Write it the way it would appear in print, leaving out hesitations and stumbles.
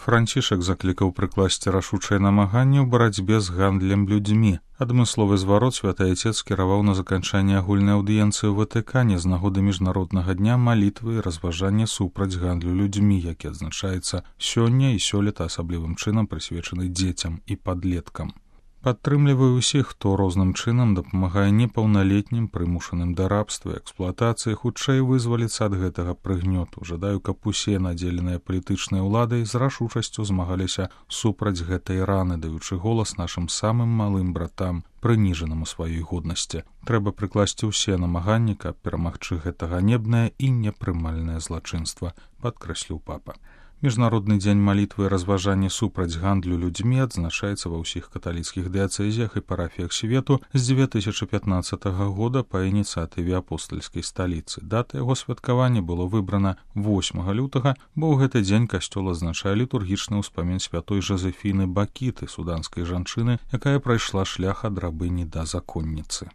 Францішак заклікаў прыкласці рашучае намаганне ў барацьбе з гандлем людзьмі. Адмысловы зварот святы айцец скіраваў на заканчанне агульнай аўдыенцыі ў Ватыкане з нагоды міжнароднага дня малітвы і разважання супраць гандлю людзьмі, які адзначаецца сёння і сёлета асаблівым чынам прысвечаны дзецям і падлеткам. Падтрымліваю ўсіх, хто розным чынам дапамагае непаўналетнім, прымушаным да рабства і эксплуатацыі, хутчэй вызваліцца ад гэтага прыгнёту. Жадаю, каб усе надзеленыя палітычнай уладай з рашучасцю змагаліся супраць гэтай раны, даючы голас нашым самым малым братам, прыніжаным у сваёй годнасці. Трэба прыкласці ўсе намаганні, каб перамагчы гэта ганебнае і непрымальнае злачынства, падкрэсліў папа. Міжнародны дзень малітвы і разважання супраць гандлю людзьмі адзначаецца ва ўсіх каталіцкіх дыяцэзіях і парафіях свету з 2015 года па ініцыятыве апостальскай сталіцы. Дата яго святкавання было выбрана 8 лютага, бо ў гэты дзень касцёл адзначае літургічны ўспамін святой Жозефіны Бакіты, суданскай жанчыны, якая прайшла шлях ад рабыні да законніцы.